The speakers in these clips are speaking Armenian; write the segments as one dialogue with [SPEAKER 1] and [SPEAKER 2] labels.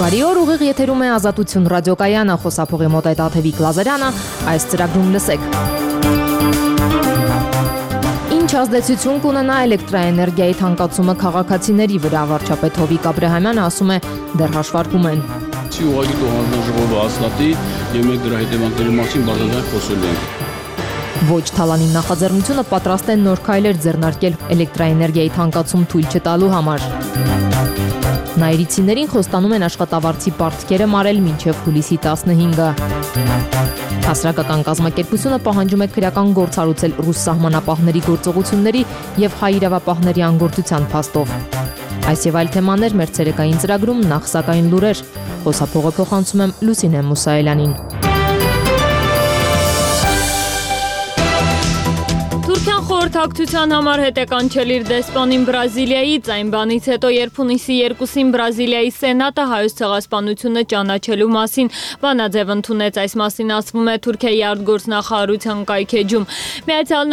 [SPEAKER 1] Բարի օր, ուղիղ եթերում է Ազատություն ռադիոկայանը, խոսափողի մոտ է Տաթևիկ Լազարյանը, այս ծրագրում լսեք։ Ինչ ազդեցություն կունենա էլեկտրաէներգիայի թանկացումը քաղաքացիների վրա, վարչապետ Հովիկ Աբրահամյանը ասում է, դեռ հաշվարկում են։
[SPEAKER 2] Ուղղակի հանձնաժողովը հաստատի եւ մենք դրա հետևանքների մասին բարձրացան խոսելու ենք։
[SPEAKER 1] Ոչ Թալանի նախաձեռնությունը պատրաստ է նոր քայլեր ձեռնարկել էլեկտրաէներգիայի թանկացում թույլ չտալու համար։ Նայրիցիներին խոստանում են աշխատավարձի պարտքերը մարել մինչև հուլիսի 15-ը։ Հասարակական կազմակերպությունը պահանջում է քրեական գործ հարուցել ռուս սահմանապահների գործողությունների եւ հայ իրավապահների անգործության փաստով։ Այս եւ այլ թեմաներ մեր ցերեկային ծրագրում, նախ սակայն լուրեր։ Խոսափողը փոխանցում եմ Լուսինե Մուսայելյանին։
[SPEAKER 3] Թուրքիան խորհրդակցության համար հետ է կանչել իր դեսպանին Բրազիլիայից, այն բանից հետո, երբ հունիսի 2-ին Բրազիլիայի սենատը հայոց ցեղասպանությունը ճանաչելու մասին բանաձև ընդունեց, այս մասին ասվում է Թուրքիայի արտգործնախարարության կայքեջում։ Միացյալ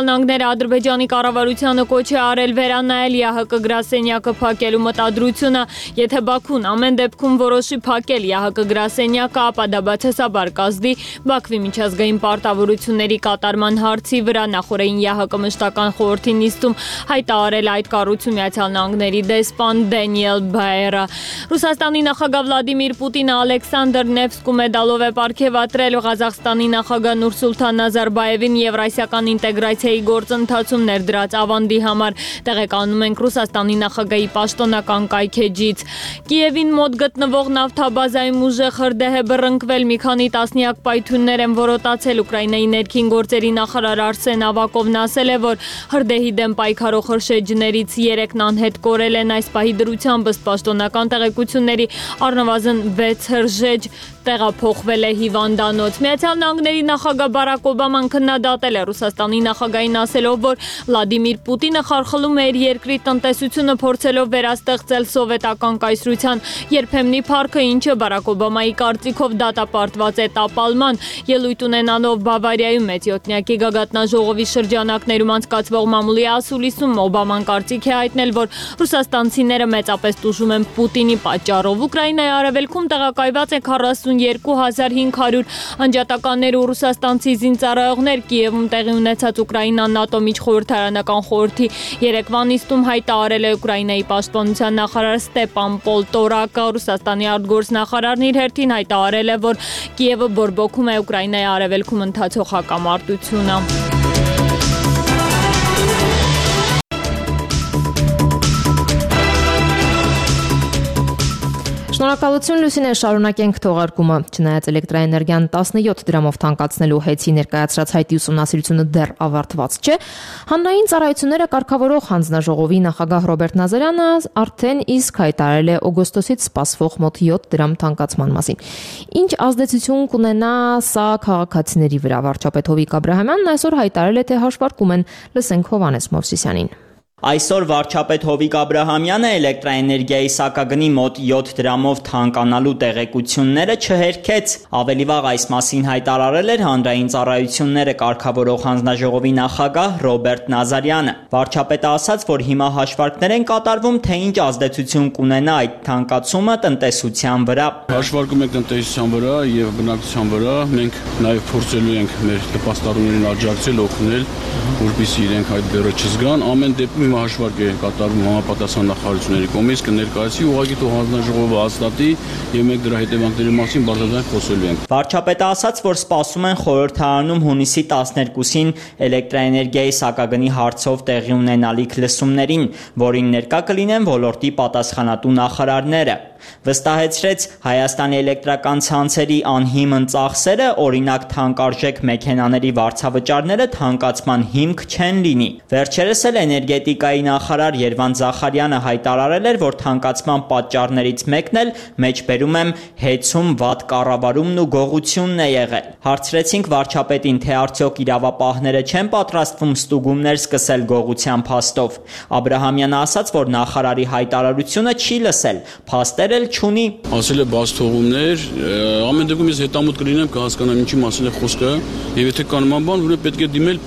[SPEAKER 3] Նահանգները Ադրբեջանի կառավարությանը կոչ է արել վերանայել ԵԱՀԿ գրասենյակը փակելու մտադրությունը, եթե Բաքուն ամեն դեպքում որոշի փակել ԵԱՀԿ գրասենյակը, ապա դա բացասաբար կազդի Բաքվի միջազգային պարտավորությունների կատարման հարցի վրա նախորդին ԵԱՀԿ մշտական խորհրդի նիստում հայտարարել այդ կառույցում Միացյալ Նահանգների դեսպան Դենիել Բայերը։ Ռուսաստանի նախագահ Վլադիմիր Պուտինը Ալեքսանդր Նևսկու մեդալով է պարգևատրել Ղազախստանի նախագահ Նուրսուլթան Նազարբաևին եվրասիական ինտեգրացիայի գործընթացում ներդրած ավանդի համար, տեղեկանում ենք Ռուսաստանի նախագահի պաշտոնական կայքեջից։ Կիևին մոտ գտնվող նավթաբազայում ուժեղ հրդեհ է բռնկվել, մի քանի տասնյակ պայթյուններ են որոտացել։ Ուկրաինայի ներքին գործերի նախարար Արսեն Ավակովն ասել է, որ հրդեհի դեմ պայքարող հրշեջներից 3-ն անհետ կորել են, այս պահի դրությամբ ըստ պաշտոնական տեղեկությունների առնվազն 6 հրշեջ տեղափոխվել է հիվանդանոց։ Միացյալ Նահանգների նախագահ Բարակ Օբաման քննադատել է Ռուսաստանի նախագահին, ասելով, որ Վլադիմիր Պուտինը խարխլում է իր երկրի տնտեսությունը, փորձելով վերաստեղծել սովետական կայսրության երբեմնի փառքը, ինչը Բարակ Օբամայի կարծիքով դատապարտված է տապալման։ Ելույթ ունենալով Բավարիայում մեծ յոթնյակի գագաթնաժողովի շրջանակներում անցկացվող մամուլի ասուլիսում Օբաման կարծիք է հայտնել, որ ռուսաստանցիները մեծապես տուժում են Պուտինի պատճառով։ Ուկրաինայի արևելքում տեղակայված է 42,500 անջատականներ ու ռուսաստանցի զինծառայողներ։ Կիևում տեղի ունեցած Ուկրաինան ՆԱՏՕ միջխորհրդարանական խորհրդի երեկվա նիստում հայտարարել է Ուկրաինայի պաշտպանության նախարար Ստեփան Պոլտորակը։ Ռուսաստանի արտգործնախարարն իր հերթին հայտարարել է, որ Կիևը բորբոքում է Ուկրաինայի արևելքում ընթացող հակամարտությունը։
[SPEAKER 1] Շնորհակալություն Լուսինե, շարունակենք թողարկումը։ Չնայած էլեկտրաէներգիան 17 դրամով թանկացնելու հեծի ներկայացրած հայտի ուսումնասիրությունը դեռ ավարտված չէ, հանրային ծառայությունները կարգավորող հանձնաժողովի նախագահ Ռոբերտ Նազարյանը արդեն իսկ հայտարարել է օգոստոսից սպասվող մոտ 7 դրամ թանկացման մասին։ Ինչ ազդեցություն կունենա սա քաղաքացիների վրա, վարչապետ Հովիկ Աբրահամյանն այսօր հայտարարել է, թե հաշվարկում են, լսենք Հովհաննես Մովսիսյանին։
[SPEAKER 4] Այսօր վարչապետ Հովիկ Աբրահամյանը էլեկտրաէներգիայի սակագնի մոտ 7 դրամով թանկանալու տեղեկությունները չհերքեց։ Ավելի վաղ այս մասին հայտարարել էր հանրային ծառայությունները կարգավորող հանձնաժողովի նախագահ Ռոբերտ Նազարյանը։ Վարչապետը ասաց, որ հիմա հաշվարկներ են կատարվում, թե ինչ ազդեցություն կունենա այդ թանկացումը տնտեսության վրա։
[SPEAKER 2] Հաշվարկում ենք տնտեսության վրա եւ բնակչության վրա, մենք նաեւ փորձելու ենք մեր նպաստառուներին աջակցել, օգնել, որպեսզի իրենք այդ բեռը չզգան։ Ամեն դեպքում հիմա հաշվարկ է կատարվում համապատասխան նախարարությունների կողմից, կներկայացի ուղղակի թող հանձնաժողովը հաստատի եւ մենք դրա հետևանքների մասին բարձրացան խոսելու ենք։
[SPEAKER 4] Վարչապետը ասաց, որ սպասում են խորհրդարանում հունիսի 12-ին էլեկտրաէներգիայի սակագնի հարցով տեղի ունենալիք լսումներին, որին ներկա կլինեն ոլորտի պատասխանատու նախարարները։ Վստահեցրեց Հայաստանի էլեկտրական ցանցերի անհիմն ծախսերը, օրինակ թանկարժեք մեքենաների վարձավճարները թանկացման հիմք չեն լինի։ Վերջերս էլ էներգետիկայի նախարար Երվանդ Զախարյանը հայտարարել էր, որ թանկացման պատճառներից մեկն էլ մեջբերում եմ հեծում վատ կառավարումն ու գողությունն է եղել։ Հարցրեցինք վարչապետին, թե արդյոք իրավապահները չեն պատրաստվում ստուգումներ սկսել գողության փաստով։ Աբրահամյանը ասաց, որ նախարարի հայտարարությունը չի լսել, փաստեր չունի։
[SPEAKER 2] Ասել է բաց թողումներ, ամեն դեպքում ես հետամուտ կլինեմ, կհասկանամ ինչի մասին է խոսքը, եւ եթե կան նման բան, որ պետք է դիմել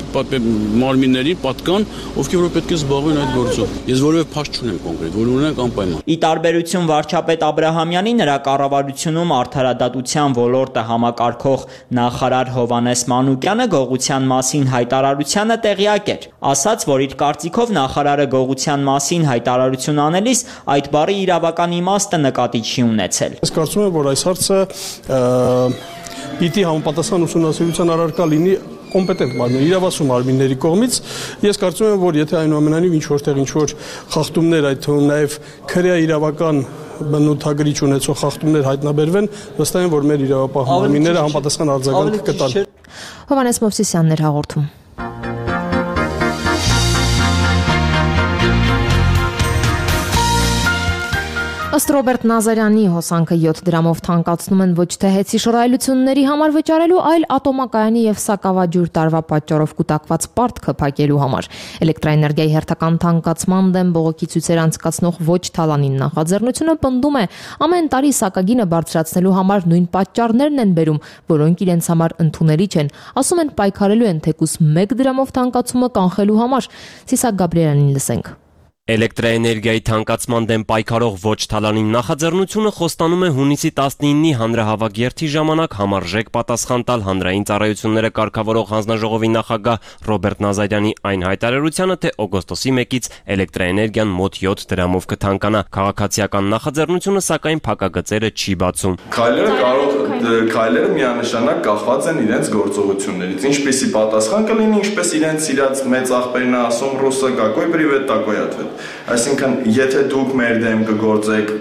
[SPEAKER 2] մարմիններին, պատկան, ովքեր որ պետք է զբաղվեն զբաղվեն այդ գործով։ Ես որևէ փաստ չունեմ կոնկրետ, որ ունենք անպայման։
[SPEAKER 4] Ի տարբերություն վարչապետ Աբրահամյանի, նրա կառավարությունում արդարադատության ոլորտը համակարգող նախարար Հովհաննես Մանուկյանը գողության մասին հայտարարությանը տեղյակ էր։ Ասաց, որ իր կարծիքով նախարարը գողության մասին հայտարարություն անելիս այդ բառի իրավական իմաստը նկատի չի ունեցել։
[SPEAKER 5] Ես կարծում եմ, որ այս հարցը պիտի համապատասխան ուսումնասիրության առարկա լինի կոմպետենտ մարմին, իրավասու մարմինների կողմից։ Ես կարծում եմ, որ եթե այնուամենայնիվ ինչ-որ խախտումներ, այդ թվում նաև քրեա իրավական բնութագրիչ ունեցող խախտումներ հայտնաբերվեն, վստահ եմ, որ մեր իրավապահ մարմինները համապատասխան արձագանք կտան։
[SPEAKER 1] Հովհաննես Մովսիսյանն էր հաղորդում։ Ըստ Ռոբերտ Նազարյանի հոսանքը 7 դրամով թանկացնում են ոչ թե հեծի շռայլությունների համար վճարելու, այլ ատոմակայանի եւ սակավաջուր տարվա պատճառով կուտակված պարտքը փակելու համար։ Էլեկտրաէներգիայի հերթական թանկացման դեմ բողոքի ցույցեր անցկացնող ոչ թալանին նախաձեռնությունը պնդում է, ամեն տարի սակագինը բարձրացնելու համար նույն պատճառներն են բերում, որոնք իրենց համար ընդունելի չեն։ Ասում են պայքարելու են թեկուզ 1 դրամով թանկացումը կանխելու համար։ Սիսակ Գաբրիելյանին լսենք։
[SPEAKER 6] Էլեկտրաէներգիայի թանկացման դեմ պայքարող ոչ թալանին նախաձեռնությունը խոստանում է հունիսի 19-ի հանրահավաք երթի ժամանակ համարժեք պատասխան տալ հանրային ծառայությունները կարգավորող հանձնաժողովի նախագահ Ռոբերտ Նազարյանի այն հայտարարությանը, թե օգոստոսի 1-ից էլեկտրաէներգիան մոտ 7 դրամով կթանկանա։ Քաղաքացիական նախաձեռնությունը սակայն փակագծերը չի բացում։
[SPEAKER 7] Քայլերը միանշանակ կախված են իրենց գործողություններից։ Ինչպեսի պատասխան կլինի, ինչպես իրենց իրաց մեծ աղբերն ասում ռուսը какой привет, такой ответ։ Այսինքն, եթե դուք մեր դեմ կգործեք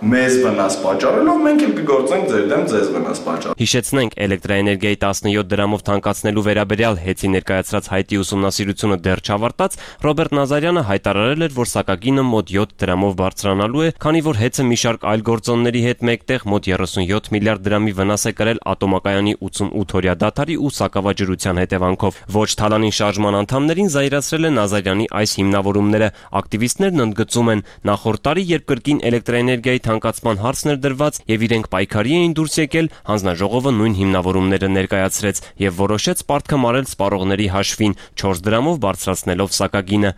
[SPEAKER 7] մեզ վնաս պատճառելով, մենք էլ կգործենք ձեր դեմ ձեզ վնաս պատճառ։
[SPEAKER 6] Հիշեցնենք, էլեկտրաէներգիայի 17 դրամով թանկացնելու վերաբերյալ հեծի ներկայացրած հայտի ուսումնասիրությունը դեռ չավարտած, Ռոբերտ Նազարյանը հայտարարել էր, որ սակագինը մոտ 7 դրամով բարձրանալու է, քանի որ հեծը մի շարք այլ գործոնների հետ մեկտեղ մոտ 37 միլիարդ դրամի վնաս է կրել ատոմակայանի 88-օրյա դադարի ու սակավաջրության հետևանքով։ Ոչ թալանին շարժման անդամներին զայրացրել է Նազարյանի այս հիմնավորումները։ Ակտիվիստներն ընդգծում են, նախորդ տարի, երբ կրկին էլեկտրաէներգիայի թանկացման հարցն էր դրված եւ իրենք պայքարի էին դուրս եկել, հանձնաժողովը նույն հիմնավորումները ներկայացրեց եւ որոշեց պարտքը մարել սպառողների հաշվին 4 դրամով բարձրացնելով սակագինը։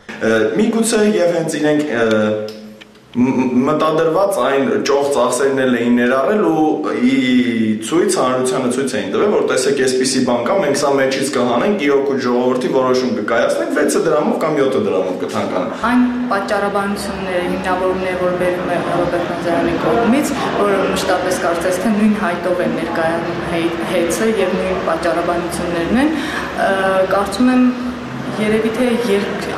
[SPEAKER 7] Միգուցե եւ հենց իրենք մտադրված այն ճոխ ծախսերն էին ներառել ու հանրությանը ցույց էին տվել, որ տեսեք, այսպիսի բան կա, մենք սա մեջից կհանենք, իրոք ժողովրդի որոշում կկայացնենք 6 դրամով կամ 7 դրամով կթանկանա։
[SPEAKER 8] Այն պատճառաբանությունները, հիմնավորումները, որ բերում է Ռոբերտ Նազարյանի կողմից, որը մշտապես կարծես թե նույն հայտով են ներկայանում հեծը եւ նույն պատճառաբանություններն են, կարծում եմ երևի թե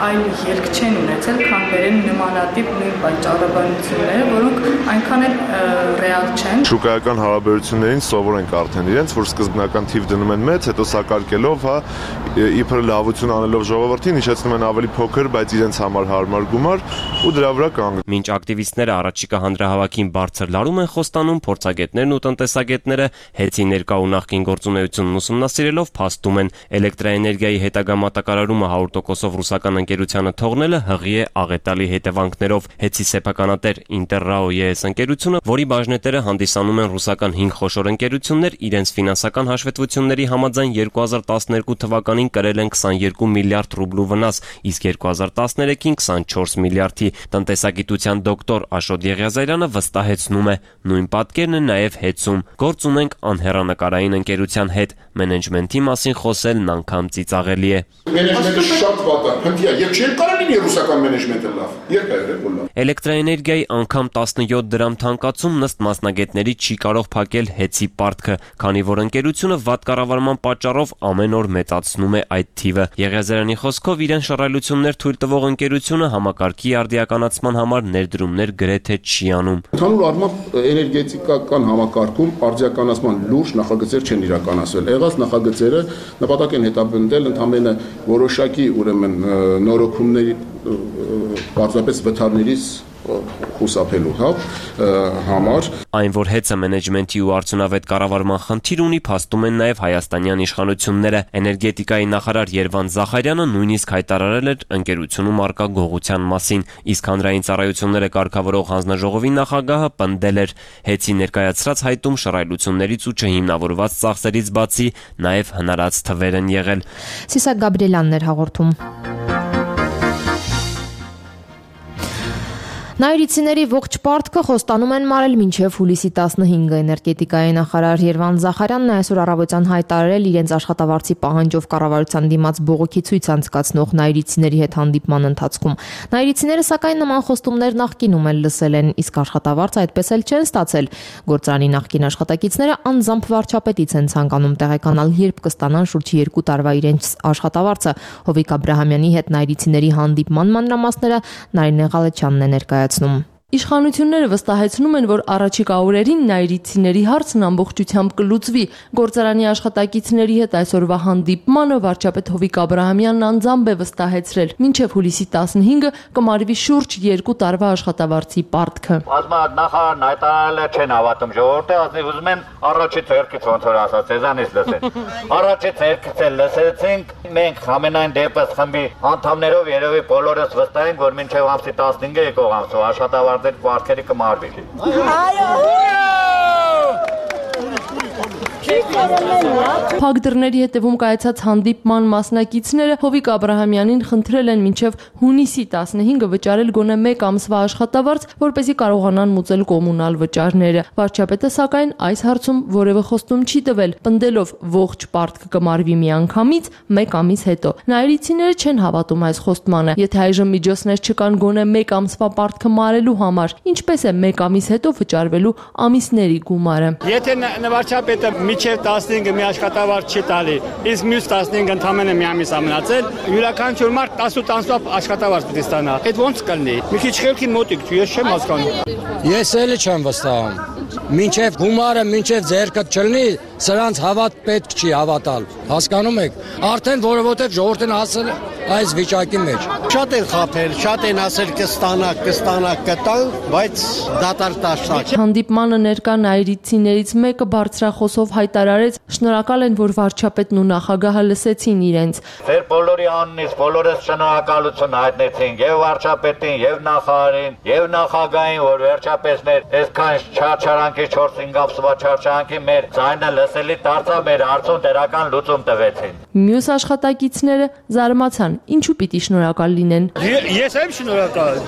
[SPEAKER 8] այլ ելք չեն ունեցել, քան բերեն նմանատիպ նույն պատճառաբանությունները, որոնք այնքան էլ ռեալ չեն։
[SPEAKER 9] Շուկայական հարաբերություններին սովոր ենք արդեն իրենց, որ սկզբնական թիվ դնում են մեծ, հետո սակարկելով, իբր լավություն անելով ժողովրդին, հիշեցնում են ավելի փոքր, բայց իրենց համար հարմար գումար ու դրա վրա կանգնում։
[SPEAKER 6] Մինչ ակտիվիստները առաջիկա հանրահավաքին բարձր լարում են խոստանում, փորձագետներն ու տնտեսագետները հեծի ներկա ու նախկին գործունեությունն ուսումնասիրելով փաստում են, էլեկտրաէներգիայի հետագա մատակարարումը 100%-ով ռուսական ընկերությանը թողնելը հղի է աղետալի հետևանքներով։ Հեծի սեփականատեր Interrao ES ընկերությունը, որի բաժնետերը հանդիսանում են ռուսական 5 խոշոր ընկերություններ, իրենց ֆինանսական հաշվետվությունների համաձայն 2012 թվականին կրել են 22 միլիարդ ռուբլու վնաս, իսկ 2013-ին 24 միլիարդի։ Տնտեսագիտության դոկտոր Աշոտ Եղիազարյանը վստահեցնում է, նույն պատկերն է նաև հեծում։ Գործ ունենք անհեռանկարային ընկերության հետ, մենեջմենթի մասին խոսելն անգամ ծիծաղելի է։
[SPEAKER 10] Շատ վատ է, հնդիա, եւ չէ կարող լինի ռուսական մենեջմենտը լավ։ Երբ է եղել լավ։
[SPEAKER 6] Էլեկտրաէներգիայի անգամ 17 դրամ թանկացում ըստ մասնագետների չի կարող փակել հեծի պարտքը, քանի որ ընկերությունը վատ կառավարման պատճառով ամեն օր մեծացնում է այդ թիվը։ Եղիազարյանի խոսքով իրեն շռայլություններ թույլ տվող ընկերությունը համակարգի արդիականացման համար ներդրումներ գրեթե չի անում։
[SPEAKER 10] Ընդհանուր առմամբ էներգետիկական համակարգում արդիականացման լուրջ նախագծեր չեն իրականացվել։ Եղած նախագծերը նպատակ են հետապնդել ընդհանրապես որոշակի ուրեմն նորոգումների պարզապես վթարներից խուսափելու համար։
[SPEAKER 6] Այն, որ հեծը մենեջմենթի ու արդյունավետ կառավարման խնդիր ունի, փաստում են նաև հայաստանյան իշխանությունները։ Էներգետիկայի նախարար Երվանդ Զախարյանը նույնիսկ հայտարարել էր ընկերությունում առկա գողության մասին, իսկ հանրային ծառայությունները կարգավորող հանձնաժողովի նախագահը պնդել էր, հեծի ներկայացրած հայտում շռայլություններից ու չհիմնավորված ծախսերից բացի նաև հնարած թվեր են եղել։
[SPEAKER 1] Սիսակ Գաբրիելյանն էր հաղորդում։ Նայիրիցիների ողջ պարտքը խոստանում են մարել մինչև հուլիսի 15-ը։ Էներգետիկայի նախարար Երվան Զախարյանն այսօր առավոտյան հայտարարել իրենց աշխատավարձի պահանջով կառավարության դիմաց բողոքի ցույց անցկացնող նայիրիցիների հետ հանդիպման ընթացքում։ Նայիրիցիները սակայն նման խոստումներ նախկինում էլ լսել են, իսկ աշխատավարձ այդպես էլ չեն ստացել։ Գործարանի նախկին աշխատակիցները անձամբ վարչապետից են ցանկանում տեղեկանալ, երբ կստանան շուրջ 2 տարվա իրենց աշխատավարձը։ Հովիկ Աբրահամյանի հետ նայիրիցիների հանդիպման մանրամասները Նարինե Ղալեչյանն է ներկայացնում։
[SPEAKER 11] Իշխանությունները վստահեցնում են, որ առաջիկա օրերին նայիրիցիների հարցն ամբողջությամբ կլուծվի։ Գործարանի աշխատակիցների հետ այսօրվա հանդիպմանը վարչապետ Հովիկ Աբրահամյանն անձամբ է վստահեցրել, մինչև հուլիսի 15-ը կմարվի շուրջ 2 տարվա աշխատավարձի պարտքը։
[SPEAKER 12] Նախարարն հայտարարել է չեն հավատում ժողովուրդը, ասի ուզում են առաջի ցերկից ոնց որ ասած, ցեզանից լսեն։ Առաջի ցերկից էլ լսեցինք, մենք ամենայն դեպս խմբի անդամներով երևի բոլորս վստահ ենք, որ մինչև ամսի 15-ը եկող ամսով աշխատավարձ Պարտքերի կմարվի։
[SPEAKER 11] Փակ դռների հետևում կայացած հանդիպման մասնակիցները Հովիկ Աբրահամյանին խնդրել են մինչև հունիսի 15-ը վճարել գոնե 1 ամսվա աշխատավարձ, որպեսզի կարողանան մուծել կոմունալ վճարները։ Վարչապետը սակայն այս հարցում որևէ խոստում չի տվել, պնդելով ողջ պարտքը կմարվի միանգամից 1 ամիս հետո։ Նայիրիցիները չեն հավատում այս խոստմանը։ Եթե այժմ միջոցներ չկան գոնե 1 ամսվա պարտքը մարելու համար, ինչպես է 1 ամիս հետո վճարվելու ամիսների գումարը։
[SPEAKER 13] Եթե վարչապետը միջև 15-ը մի աշխատավարձ չի տալի, իսկ մյուս 15-ը ընդամենը մի ամիս ամնացել, յուրաքանչյուր մարդ 18 ամսվա աշխատավարձ պետք է ստանա։ Այդ ո՞նց կլինի։ Մի քիչ խելքին մոտիկ չի, ես չեմ հասկանում։
[SPEAKER 14] Ես էլ չեմ վստահում։ Մինչև գումարը, մինչև ձեռքը չլինի, սրանց հավատ պետք չի հավատալ։ Հասկանում եք։ Արդեն որովհետև ժողովուրդն ասել այս վիճակի մեջ։
[SPEAKER 15] Շատ են խափել, շատ են ասել կտան, բայց դատարկ տաշտակ։
[SPEAKER 11] Հանդիպմանը ներկա նայիրիցիներից մեկը բարձրախոսով հայտարարեց, շնորհակալ են, որ վարչապետն ու նախագահը լսեցին իրենց։
[SPEAKER 12] Ձեր բոլորի անունից բոլորս շնորհակալություն հայտնեցինք եւ վարչապետին, եւ նախարարին, եւ նախագահին, որ վերջապես մեր այսքան չարչարանքի 4-5 ամսվա չարչարանքի մեր ձայնը լսելի դարձավ, մեր հարցում դերական լուծում տվեցին։
[SPEAKER 11] Մյուս աշխատակիցները զարմացան, ինչու պիտի շնորհակալ լինեն։
[SPEAKER 13] Ես եմ շնորհակալ։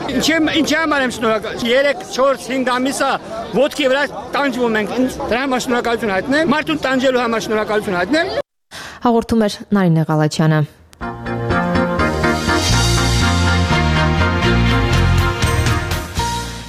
[SPEAKER 13] Ինչ համար եմ շնորհակալ։ 3-4-5 ամիսա ոտքի վրա տանջվում ենք։ Դրա համար շնորհակալություն հայտնեմ։ Մարդուն տանջելու համար շնորհակալություն հայտնեմ։
[SPEAKER 1] Հաղորդում էր Նարինե Ղալեչյանը։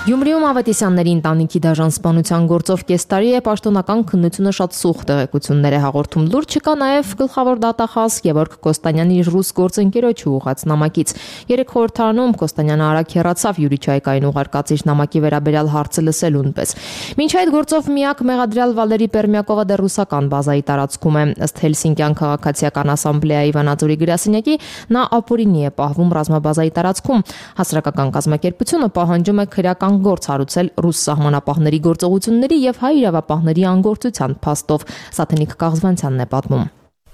[SPEAKER 1] Գյումրիում Ավետիսյանների ընտանիքի դաժան սպանության գործով կես տարի է պաշտոնական քննությունը շատ սուղ տեղեկություններ է հաղորդում։ Լուրջ չկա նաև գլխավոր դատախազ Գևորգ Կոստանյանի ռուս գործընկերոջը ուղղած նամակից։ Երեք խորհրդարանում Կոստանյանը արագ հեռացավ Յուրի Չայկային ուղարկած իր նամակի վերաբերյալ հարցը լսելուն պես։ Մինչ այդ գործով միակ մեղադրյալ Վալերի Պերմյակովը դեռ ռուսական բազայի տարածքում է։ Ըստ Հելսինկյան քաղաքացիական ասամբլեայի Վանաձորի գրասենյակի նա ապօրինի է պահվում ռազմաբազայի տարածքում։ Հասարակական կազմակերպությունը պահանջում է քրեական գործ հարուցել ռուս սահմանապահների գործողությունների եւ հայ իրավապահների անգործության փաստով։ Սաթենիկ Կաղզվանցյանն է պատմում։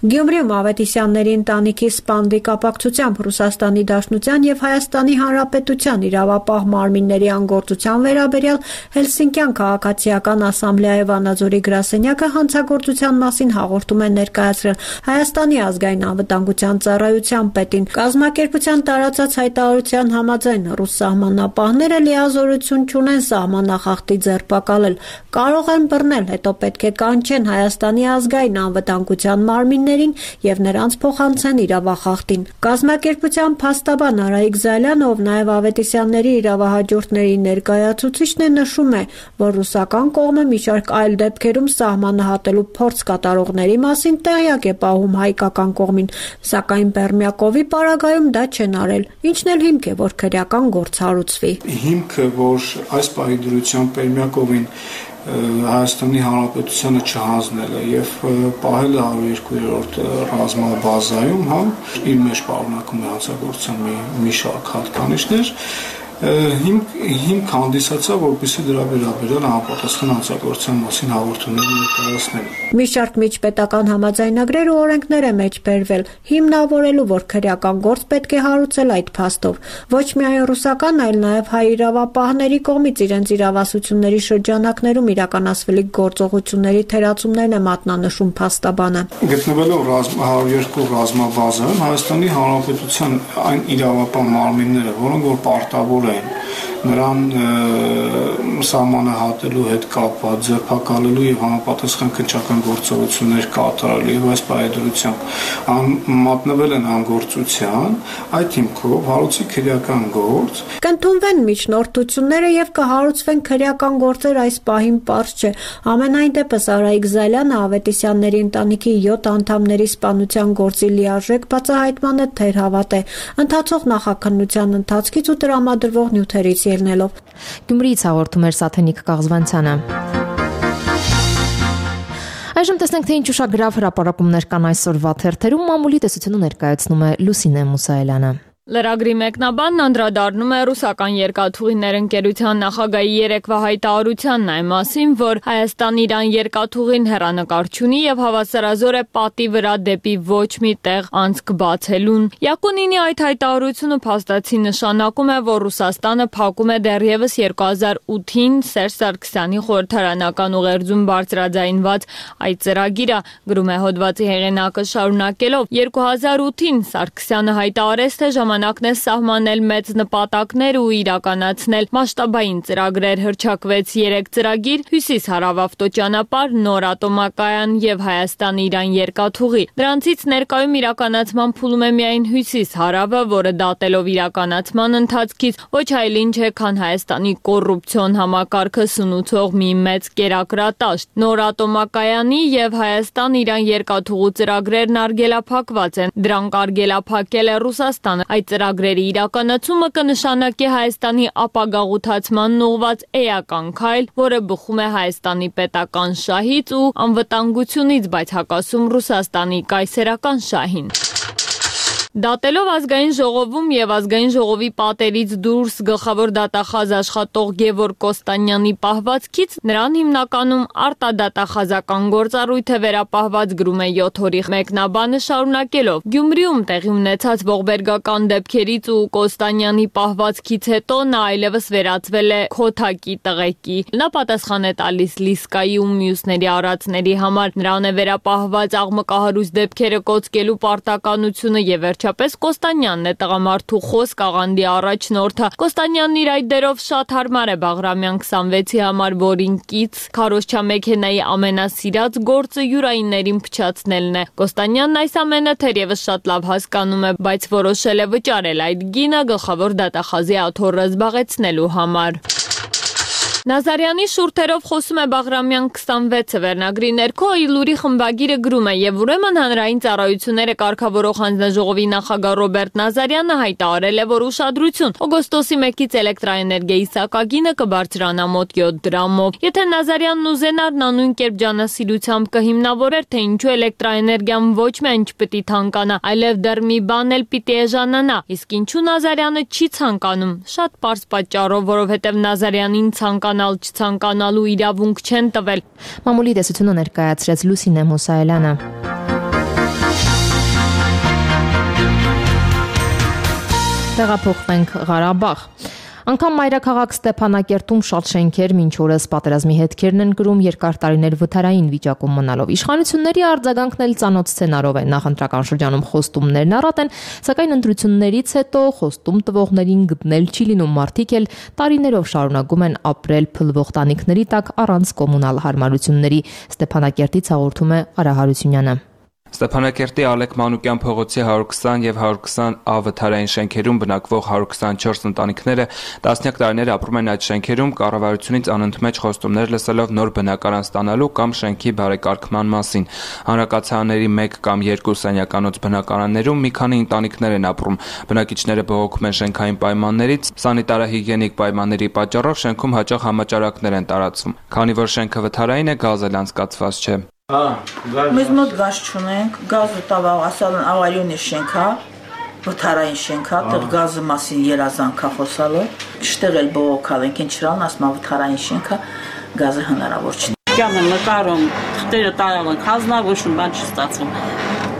[SPEAKER 16] Գյումրիում Ավետիսյանների ընտանիքի սպանդի կապակցությամբ Ռուսաստանի Դաշնության եւ Հայաստանի Հանրապետության իրավապահ մարմինների անգործության վերաբերյալ Հելսինկյան քաղաքացիական ասամբլեայի Վանաձորի գրասենյակը հանցագործության մասին հաղորդում է ներկայացրել Հայաստանի ազգային անվտանգության ծառայության պետին։ Կազմակերպության տարածած հայտարարության համաձայն ռուս սահմանապահները լիազորություն չունեն սահմանախախտի ձերբակալել, կարող են բռնել, հետո պետք է կանչեն Հայաստանի ազգային անվտանգության մարմինների եւ նրանց փոխանցեն իրավախախտին։ Կազմակերպության փաստաբան Արայիկ Զալյանը, ով նաեւ Ավետիսյանների իրավահաջորդների ներկայացուցիչն է, նշում է, որ ռուսական կողմը մի շարք այլ դեպքերում սահմանը հատելու փորձ կատարողների մասին տեղյակ է պահում հայկական կողմին, սակայն Պերմյակովի պարագայում դա չեն արել, ինչն էլ հիմք է, որ քրեական գործ հարուցվի։
[SPEAKER 17] Հիմքը, որ այս պահի դրությամբ Պերմյակովին Հայաստանի Հանրապետությանը չհանձնելը եւ պահելը 102-րդ ռազմաբազայում, իր մեջ պարունակում է հանցագործության մի շարք հատկանիշներ, հիմք հանդիսացավ, որպեսզի դրա վերաբերյալ համապատասխան հանցագործության մասին հաղորդումներ ներկայացնել։
[SPEAKER 16] Մի շարք միջպետական համաձայնագրեր ու օրենքներ է մեջ բերվել, հիմնավորելու, որ քրեական գործ պետք է հարուցել այդ փաստով։ Ոչ միայն ռուսական, այլ նաև հայ իրավապահների կողմից իրենց իրավասությունների շրջանակներում իրականացվելիք գործողությունների թերացումներն է մատնանշում փաստաբանը։
[SPEAKER 17] Գտնվելով 102 ռազմաբազայում Հայաստանի Հանրապետության այն իրավապահ մարմինները, որոնք որ պարտավոր են նրան սահմանահատելու հետ կապված ձերբակալելու եւ համապատասխան քննչական գործողություններ կատարելու եւ այս պայմանությամբ մատնվել են անգործության, այդ հիմքով հարուցի քրեական գործ
[SPEAKER 16] կընդունվեն միջնորդությունները եւ կհարուցվեն քրեական գործեր այս պահին պարզ չէ։ Ամենայն դեպս Արայիկ Զալյանը Ավետիսյանների ընտանիքի 7 անդամների սպանության գործի լիարժեք բացահայտմանը թերհավատ է, ընթացող նախաքննության ընթացքից ու տրամադրվող նյութերից ելնելով։
[SPEAKER 1] Գյումրիից հաղորդում էր Սաթենիկ Կաղզվանցյանը։ Այժմ տեսնենք, թե ինչ ուշագրավ հրապարակումներ կան այսօրվա թերթերում, մամուլի տեսությունը ներկայացնում է Լուսինե Մուսայելյանը։
[SPEAKER 3] Լրագրի մեկնաբանն անդրադառնում է ռուսական երկաթուղիներ ընկերության նախագահի երեկվա հայտարարությանն այն մասին, որ Հայաստան-Իրան երկաթուղին հեռանկար չունի եւ հավասարազոր է պատի վրա դեպի ոչ մի տեղ անցք բացելուն։ Յակունինի այդ հայտարարությունը փաստացի նշանակում է, որ Ռուսաստանը փակում է դեռևս 2008-ին Սերժ Սարգսյանի խորհրդարանական ուղերձում բարձրաձայնված այդ ծրագիրը, գրում է հոդվածի հեղինակը շարունակելով. 2008-ին Սարգսյանը հայտարարեց, թե ժամանակն է սահմանել մեծ նպատակներ ու իրականացնել մասշտաբային ծրագրեր, հռչակվեց 3 ծրագիր՝ հյուսիս-հարավ ավտոճանապարհ, նոր ատոմակայան եւ Հայաստան-Իրան երկաթուղի։ Դրանցից ներկայում իրականացման փուլում է միայն հյուսիս-հարավը, որը դատելով իրականացման ընթացքից ոչ այլ ինչ է, քան Հայաստանի կոռուպցիոն համակարգը սնուցող մի մեծ կերակրատաշտ։ Նոր ատոմակայանի եւ Հայաստան-Իրան երկաթուղու ծրագրերն արգելափակված են։ Դրանք արգելափակել է Ռուսաստանը։ Այդ ծրագրերի իրականացումը կնշանակի Հայաստանի ապագաղութացմանն ուղղված էական քայլ, որը բխում է Հայաստանի պետական շահից ու անվտանգությունից, բայց հակասում Ռուսաստանի կայսերական շահին։ Դատելով ազգային ժողովում եւ ազգային ժողովի պատերից դուրս գլխավոր դատախազ աշխատող Գևորգ Կոստանյանի պահվածքից նրան հիմնականում արտադատախազական գործառույթ է վերապահված, գրում է 7 օրի մեկնաբանը շարունակելով. Գյումրիում տեղի ունեցած ողբերգական դեպքերից ու Կոստանյանի պահվածքից հետո նա այլևս վերածվել է քոթակի տղեկի։ Նա պատասխան է տալիս Լիսկայի ու մյուսների արածների համար, նրան է վերապահված աղմկահարույց դեպքերը կոծկելու պարտականությունը եւ Պես Կոստանյանն է տղամարդու խոսք աղանդի առաջնորդը։ Կոստանյանն իր այդ դերով շատ հարմար է Բաղրամյան 26-ի համար, որին կից քարոզչա մեքենայի ամենասիրած գործը յուրայիններին փչացնելն է։ Կոստանյանն այս ամենը թերևս շատ լավ հասկանում է, բայց որոշել է վճարել այդ գինը գլխավոր դատախազի աթոռը զբաղեցնելու համար։ Նազարյանի շուրթերով խոսում է Բաղրամյան 26-ը վերնագրի ներքո Իլուրի խմբագիրը գրում է եւ ուրեմն հանրային ծառայությունները կարգավորող հանձնաժողովի նախագահ Ռոբերտ Նազարյանը հայտարարել է, որ ուշադրություն օգոստոսի 1-ից էլեկտրաէներգիայի սակագինը կբարձրանա մոտ 7 դրամով։ Եթե Նազարյանն ուզենար, նա նույն կերպ ջանասիրությամբ կհիմնավորեր, թե ինչու էլեկտրաէներգիան ոչ միայն չպիտի թանկանա, այլև դեռ մի բան էլ պիտի էժանանա։ Իսկ ինչու Նազարյանը չի ցանկանում։ Շատ պարզ պատճառով, որովհետեւ Նազարյանին չցանկանալու իրավունք չեն տվել։
[SPEAKER 1] Մամուլի տեսությունը ներկայացրեց Լուսինե Մուսայելյանը։ Տեղափոխվենք Ղարաբաղ։ Անկամ մայրաքաղաք Ստեփանակերտում շատ շենքեր մինչ օրս պատերազմի հետքերն են գրում երկար տարիներ վթարային վիճակում մնալով։ Իշխանությունների արձագանքն էլ ծանոթ սցենարով է։ Նախընտրական շրջանում խոստումներն առատ են, սակայն ընտրություններից հետո խոստում տվողներին գտնել չի լինում, մարդիկ էլ տարիներով շարունակում են ապրել փլվող տանիքների տակ առանց կոմունալ հարմարությունների։ Ստեփանակերտից հաղորդում է Արա Հարությունյանը։
[SPEAKER 18] Ստեփանակերտի Ալեք Մանուկյան փողոցի 120 եւ 120A վթարային շենքերում բնակվող 124 ընտանիքները տասնյակ տարիներ ապրում են այդ շենքերում կառավարությունից անընդմեջ խոստումներ լսելով նոր բնակարան ստանալու կամ շենքի բարեկարգման մասին։ Հանրակացարանների 1 կամ 2 սենյականոց բնակարաններում մի քանի ընտանիքներ են ապրում։ Բնակիչները բողոքում են շենքային պայմաններից, սանիտարահիգիենիկ պայմանների պատճառով շենքում հաճախ համաճարակներ են տարածվում։ Քանի որ շենքը վթարային է, գազ էլ անցկացված չէ։
[SPEAKER 19] Մեզ մոտ գազ չունենք, գազը տավաղ ասալն ավարյոնի շենքա, վթարային շենքա, տեղ գազը մասին երազանքա խոսալը, շտեղ էլ բողոքալ ենք, ինչ չրան ասմա վթարային շենքա, գազը հնարավոր չի։ Կյամ են նկարում, թղթերը տարալ ենք, հանձնավորություն բան չի ստացվում,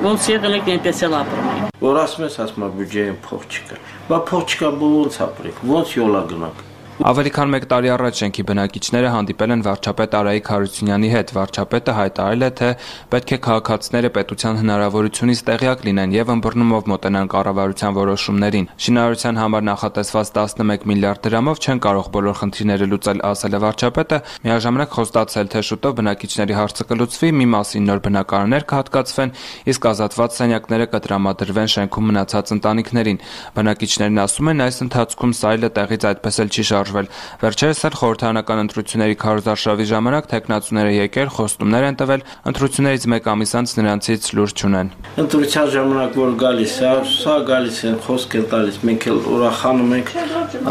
[SPEAKER 19] ոնց եղել եք այնպես էլ ապրում ենք։ Որ ասում ես ասմա բյուջեին փող չկա, բա փող չկա ոնց ապրենք, ոնց յոլա գնանք։
[SPEAKER 18] Ավելի քան 1 տարի առաջ շենքի բնակիչները հանդիպել են վարչապետ Արայիկ Հարությունյանի հետ։ Վարչապետը հայտարարել է, թե պետք է քաղաքացիները պետության հնարավորությունից տեղյակ լինեն եւ ըմբռնումով մոտենան կառավարության որոշումներին։ Շինարարության համար նախատեսված 11 միլիարդ դրամով չեն կարող բոլոր խնդիրները լուծել, ասել է վարչապետը, միաժամանակ խոստացել, թե շուտով բնակիչների հարցը կլուծվի, մի մասին նոր բնակարաններ կհատկացվեն, իսկ ազատված սենյակները կտրամադրվեն շենքում մնացած ընտանիքներին։ Բնակիչներն ասում են, այս ընթացքում սայլը տեղից այդպես էլ չի շարժվել։ Վերջերս էլ խորհրդարանական ընտրությունների քարոզարշավի ժամանակ տեխնացուները եկել, խոստումներ են տվել, ընտրություններից 1 ամիս անց նրանցից լուր չունեն։
[SPEAKER 20] Ընտրության ժամանակ որ գալիս է, սա գալիս են, խոսք են տալիս, մենք էլ ուրախանում ենք,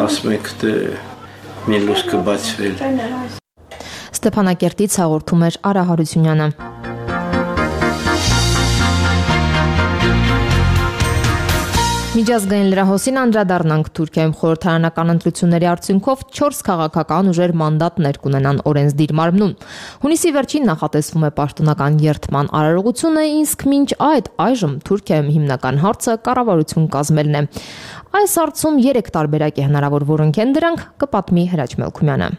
[SPEAKER 20] ասում ենք, թե մի լույս կբացվի։
[SPEAKER 1] Ստեփանակերտից հաղորդում էր Արա Հարությունյանը։ Միջազգային լրահոսին անդրադառնանք Թուրքիայում խորհրդարանական ընտրությունների արդյունքով 4 քաղաքական ուժեր մանդատներ կունենան օրենսդիր մարմնում։ Հունիսի վերջին նախատեսվում է պաշտոնական երթման արարողությունը, իսկ մինչ այժմ Թուրքիայում հիմնական հարցը կառավարություն կազմելն է։ Այս հարցում 3 տարբերակ է հնարավոր, որոնք են դրանք, կպատմի Հրաչ Մելքումյանը։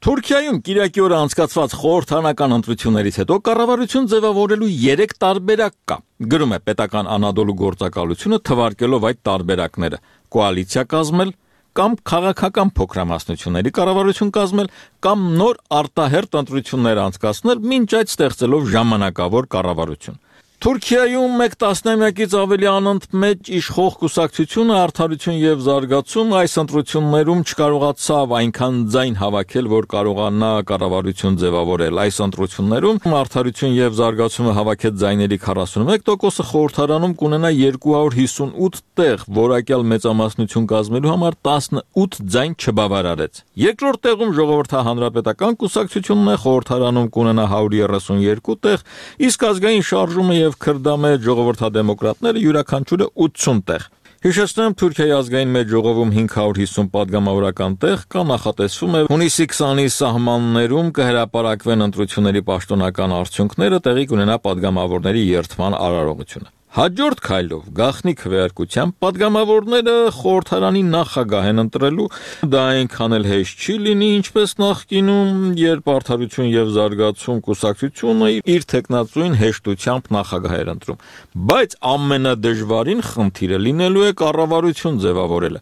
[SPEAKER 21] Թուրքիայում կիրակի օրը անցկացված խորհրդարանական ընտրություններից հետո կառավարություն ձևավորելու 3 տարբերակ կա։ Գրում է պետական Անադոլու գործակալությունը, թվարկելով այդ տարբերակները՝ կոալիցիա կազմել, կամ քաղաքական փոքրամասնությունների կառավարություն կազմել, կամ նոր արտահերթ ընտրություններ անցկացնել, մինչ այդ ստեղծելով ժամանակավոր կառավարություն։ Թուրքիայում 1 տասնամյակից ավելի անընդմեջ իշխող կուսակցությունը Արդարություն եւ զարգացում այս ընտրություններում չկարողացավ այնքան ձայն հավաքել, որ կարողանա կառավարություն ձևավորել։ Այս ընտրություններում Արդարություն եւ զարգացումը հավաքեց ձայների 41%-ը, խորհրդարանում կունենա 258 տեղ, որակյալ մեծամասնություն կազմելու համար 18 ձայն չբավարարեց։ Երկրորդ տեղում Ժողովրդահանրապետական կուսակցությունն է, խորհրդարանում կունենա 132 տեղ, իսկ ազգային շարժումը եւ Քրդամեջ ժողովրդադեմոկրատները յուրաքանչյուրը 80 տեղ։ Հիշեցնեմ, Թուրքիայի ազգային մեծ ժողովում 550 падգամավորական տեղ կա, նախատեսվում է հունիսի 20-ի սահմաններում կհրապարակվեն ընտրությունների պաշտոնական արդյունքները, տեղի կունենա падգամավորների երթման արարողությունը։ Հաջորդ քայլով գաղտնի քվեարկությամբ падգամավորները խորհրդարանի նախագահ են ընտրելու, դա այնքան էլ հեշտ չի լինի, ինչպես նախկինում, երբ Արդարություն եւ զարգացում կուսակցությունը իր տեխնացուին հեշտությամբ նախագահ էր ընտրում, բայց ամենադժվարին խնդիրը լինելու է կառավարություն ձևավորելը։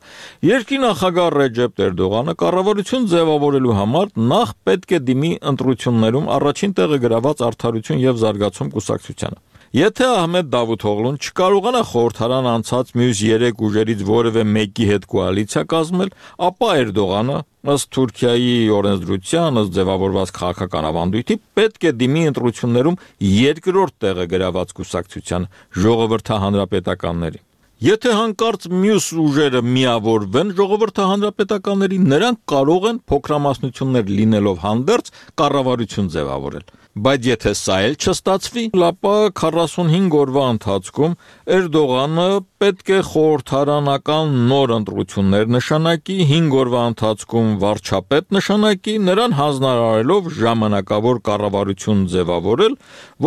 [SPEAKER 21] Երկրի նախագահ Ռեջեփ Էրդողանը կառավարություն ձևավորելու համար նախ պետք է դիմի ընտրություններում առաջին տեղը գրաված Արդարություն եւ զարգացում կուսակցությանը։ Եթե Ահմեդ Դավութօղլուն չկարողանա խորհրդարան անցած մյուս 3 ուժերից որևէ մեկի հետ կոալիցիա կազմել, ապա Էրդողանը, ըստ Թուրքիայի օրենսդրության, ըստ ձևավորված քաղաքական ավանդույթի, պետք է դիմի ընտրություններում երկրորդ տեղը գրաված կուսակցության ժողովրդահանրապետականների։ Եթե հանկարծ մյուս ուժերը միավորվեն ժողովրդահանրապետականների, նրանք կարող են փոքրամասնություններ լինելով հանդերձ կառավարություն ձևավորել։ Բայց եթե սա էլ չստացվի, ապա 45 օրվա ընթացքում Էրդողանը պետք է խորհրդարանական նոր ընտրություններ նշանակի, 5 օրվա ընթացքում վարչապետ նշանակի, նրան հանձնարարելով ժամանակավոր կառավարություն ձևավորել,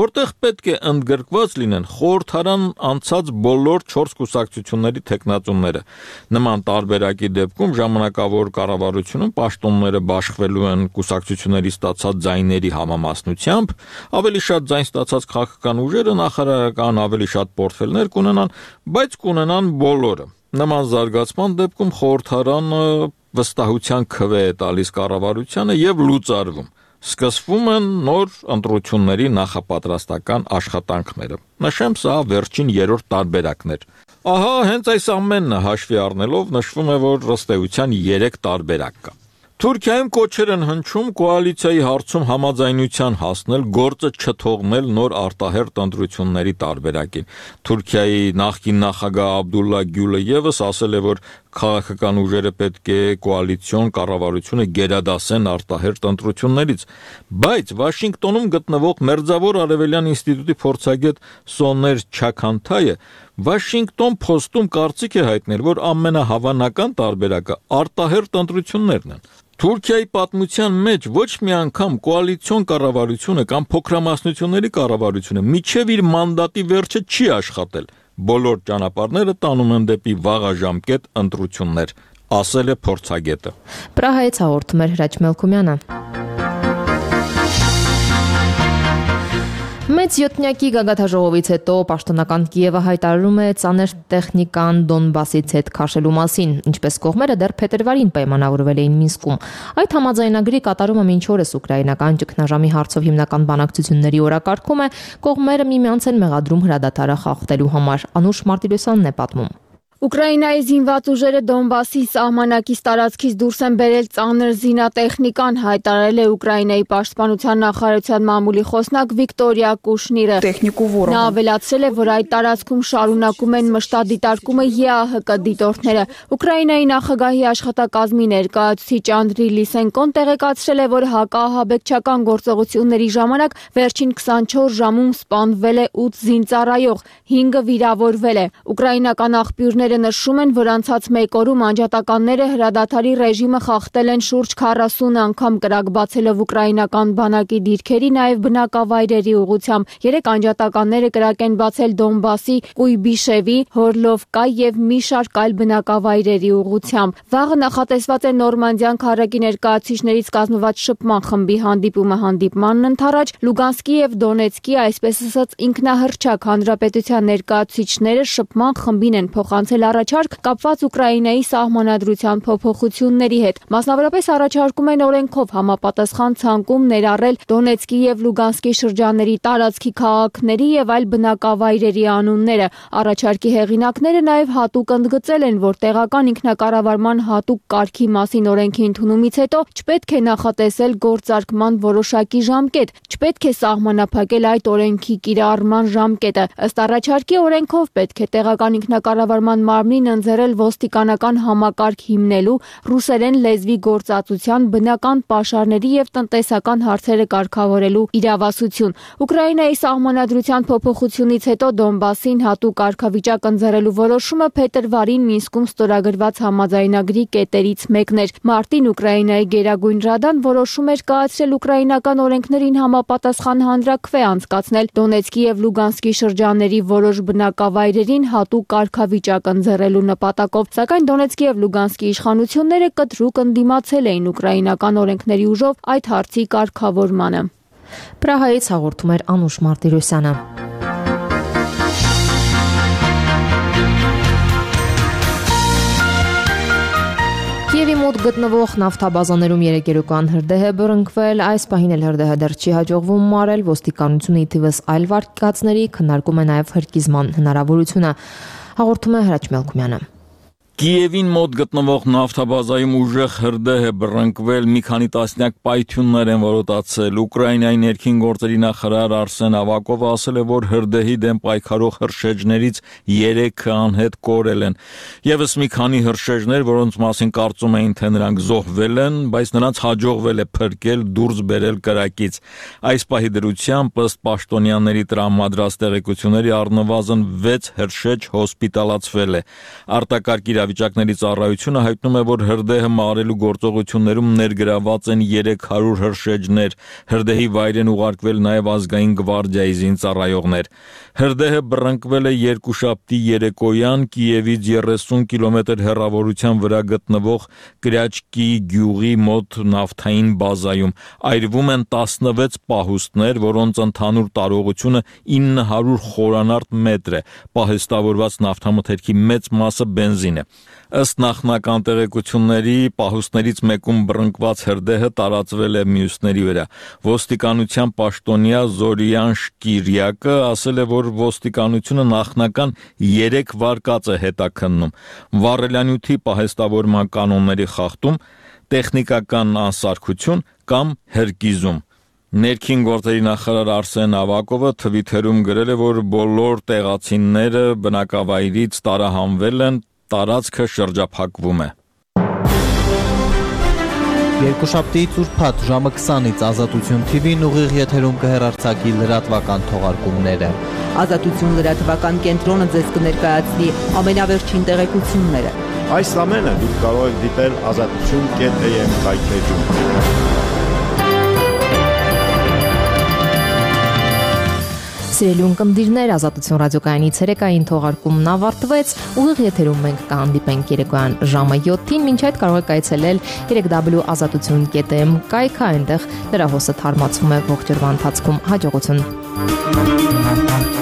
[SPEAKER 21] որտեղ պետք է ընդգրկված լինեն խորհրդարան անցած բոլոր 4 կուսակցությունների տեխնացուները։ Նման տարբերակի դեպքում ժամանակավոր կառավարությունում պաշտոնները բաշխվելու են կուսակցությունների ստացած ձայների համամասնությամբ, ավելի շատ ձայն ստացած քաղաքական ուժերը նախարարական ավելի շատ պորտֆելներ կունենան, բայց կունենան բոլորը։ Նման զարգացման դեպքում խորհրդարանը վստահության քվե է տալիս կառավարությանը եւ լուծարվում։ Սկսվում են նոր ընտրությունների նախապատրաստական աշխատանքները։ Նշեմ, սա վերջին 3-րդ տարբերակն էր։ Ահա հենց այս ամենը հաշվի առնելով նշվում է, որ ըստ էության 3 տարբերակ կա։ Թուրքիայում կոչեր են հնչում կոալիցիայի հարցում համաձայնության հասնել, գործը չթողնել նոր արտահերթ ընտրությունների տարբերակին։ Թուրքիայի նախկին նախագահ Աբդուլլա Գյուլը եւս ասել է, որ քաղաքական ուժերը պետք է կոալիցիոն կառավարությունը գերադասեն արտահերթ ընտրություններից, բայց Վաշինգտոնում գտնվող Մերձավոր Արևելյան ինստիտուտի փորձագետ Սոներ Չաքանթայը Washington Post-ում կարծիք է հայտնել, որ ամենահավանական տարբերակը արտահերթ ընտրություններն են։ Թուրքիայի պատմության մեջ ոչ մի անգամ կոալիցիոն կառավարությունը կամ փոքրամասնությունների կառավարությունը միջև իր մանդատի վերջը չի աշխատել։ Բոլոր ճանապարհները տանում են դեպի վաղաժամկետ ընտրություններ, ասել է փորձագետը։
[SPEAKER 1] Պրահայից հաղորդում էր Հրաչ Մելքումյանը։ Մեծ յոթնյակի գագաթաժողովից հետո պաշտոնական Կիևը հայտարարում է ծանր տեխնիկան Դոնբասից հետ քաշելու մասին, ինչպես կողմերը դեռ փետրվարին պայմանավորվել էին Մինսկում։ Այդ համաձայնագրի կատարումը մինչ օրս ուկրաինական ճգնաժամի հարցով հիմնական բանակցությունների օրակարգում է, կողմերը միմյանց են մեղադրում հրադադարը խախտելու համար։ Անուշ Մարտիրոսյանն է պատմում։
[SPEAKER 3] Ուկրաինայի զինված ուժերը Դոնբասի սահմանակից տարածքից դուրս են բերել ծանր զինատեխնիկան, հայտարարել է Ուկրաինայի պաշտպանության նախարարության մամուլի խոսնակ Վիկտորիա Կուշնիրը։ Նա ավելացրել է, որ այդ տարածքում շարունակում են մշտադիտարկումը ԵԱՀԿ դիտորդները։ Ուկրաինայի նախագահի աշխատակազմի ներկայացուցիչ Անդրի Լիսենկոն տեղեկացրել է, որ հակաահաբեկչական գործողությունների ժամանակ վերջին 24 ժամում սպանվել է 8 զինծառայող, 5-ը վիրավորվել է։ Ուկրաինական աղբյուրները նշում են, որ անցած մեկ օրում անջատականները հրադադարի ռեժիմը խախտել են շուրջ 40 անգամ կրակ բացելով ուկրաինական բանակի դիրքերի, նաև բնակավայրերի ուղղությամբ։ 3 անջատականները կրակ են բացել Դոնբասի, Կույբիշևի, Հորլովկա եւ մի շարք այլ բնակավայրերի ուղղությամբ։ Վաղը նախատեսված է Նորմանդիան քարակի ներկայացուցիչներից կազմված շփման խմբի հանդիպումը հանդիպմանն ընթരാճ Լուգանսկի եւ Դոնեցկի, այսպես ասած, ինքնահռչակ հանրապետության ներկայացուցիչները շփման խմբին են փոխանցել առաջարկ կապված Ուկրաինայի սահմանադրության փոփոխությունների հետ։ Մասնավորապես առաջարկում են օրենքով համապատասխան ցանկում ներառել Դոնեցկի եւ Լուգանսկի շրջանների տարածքի քաղաքների եւ այլ բնակավայրերի անունները։ Առաջարկի հեղինակները նաև հատուկ ընդգծել են, որ տեղական ինքնակառավարման հատուկ կարգի մասին օրենքի ընդունումից հետո չպետք է նախատեսել գործարկման որոշակի ժամկետ, չպետք է սահմանափակել այդ օրենքի կիրառման ժամկետը։ Ըստ առաջարկի օրենքով պետք է տեղական ինքնակառավարման մարմնին ընձեռել ոստիկանական համակարգ հիմնելու, ռուսերեն լեզվի գործածության, բնական պաշարների եւ տնտեսական հարցերը կարգավորելու իրավասություն։ Ուկրաինայի սահմանադրության փոփոխությունից հետո Դոնբասին հատուկ կարգավիճակ ընձեռելու որոշումը փետրվարին Մինսկում ստորագրված համաձայնագրի կետերից մեկն էր։ Մարտին Ուկրաինայի Գերագույն Ռադան որոշում էր կայացրել ուկրաինական օրենքներին համապատասխան հանրաքվե անցկացնել Դոնեցկի եւ Լուգանսկի շրջանների որոշ բնակավայրերին հատուկ կարգավիճակ ընձեռելու նպատակով, սակայն Դոնեցկի եւ Լուգանսկի իշխանությունները կտրուկ ընդդիմացել էին ուկրաինական օրենքների ուժով այդ հարցի կարգավորմանը։
[SPEAKER 1] Պրահայից հաղորդում էր Անուշ Մարտիրոսյանը։ Կիևի մոտ գտնվող նավթաբազաներում երեկերական հրդեհ է բռնկվել, այս պահին էլ հրդեհը դեռ չի հաջողվում մարել, ոստիկանությունը ի թիվս այլ վարկածների քննարկում է նաև հրկիզման հնարավորությունը։ Հաղորդում է Հրաչ Մելքումյանը։
[SPEAKER 21] Կիևին մոտ գտնվող նավթաբազայում ուժեղ հրդեհ է բռնկվել, մի քանի տասնյակ պայթյուններ են որոտացել։ Ուկրաինայի ներքին գործերի նախարար Արսեն Ավակովը ասել է, որ հրդեհի դեմ պայքարող հրշեջներից 3-ը անհետ կորել են։ Եվս մի քանի հրշեջներ, որոնց մասին կարծում էին, թե նրանք զոհվել են, բայց նրանց հաջողվել է փրկել, դուրս բերել կրակից։ Այս պահի դրությամբ ըստ պաշտոնյաների տրամադրած տեղեկությունների առնվազն 6 հրշեջ հոսպիտալացվել է։ Արտակարգ իրավիճակների ծառայությունը հայտնում է, որ հրդեհը մարելու գործողություններում ներգրաված են 300 հրշեջներ։ Հրդեհի վայր են ուղարկվել նաև ազգային գվարդիայի զինծառայողներ։ Հրդեհը բռնկվել է երկուշաբթի երեկոյան Կիևից 30 կիլոմետր հեռավորության վրա գտնվող Կրյաչկի գյուղի մոտ նավթային բազայում։ Այրվում են 16 պահուստներ, որոնց ընդհանուր տարողությունը 900 խորանարդ մետր է։ Պահեստավորված նավթամթերքի մեծ մասը բենզին է։ Ըստ նախնական տեղեկությունների, պահուստներից մեկում բռնկված հրդեհը տարածվել է մյուսների վրա։ Ոստիկանության պաշտոնյա Զորիան Շկիրյակը ասել է, որ ոստիկանությունը նախնական 3 վարկած է հետաքննում՝ վառելանյութի պահեստավորման կանոնների խախտում, տեխնիկական անսարքություն կամ հրկիզում։ Ներքին գործերի նախարար Արսեն Ավակովը թվիթերում գրել է, որ բոլոր տեղացիները բնակավայրից տարահանվել են, տարածքը շրջափակվում է։
[SPEAKER 2] Երկուշաբթիից ուրբաթ ժամը 20-ից Ազատություն TV-ն ուղիղ եթերում կհեռարձակի լրատվական թողարկումները։
[SPEAKER 22] Ազատություն լրատվական կենտրոնը ձեզ կներկայացնի ամենավերջին տեղեկությունները։
[SPEAKER 23] Այս ամենը դուք կարող եք դիտել azatutun.am կայքէջում։
[SPEAKER 1] Սիրելի ունկնդիրներ, Ազատություն ռադիոկայանի ցերեկային թողարկումն ավարտվեց։ Ուղիղ եթերում մենք կհանդիպենք երեկոյան ժամը 7-ին, մինչ այդ կարող եք այցելել www.azatutun.am կայքը, այնտեղ լրահոսը թարմացվում է ողջ օրվա ընթացքում։ Հաջողություն։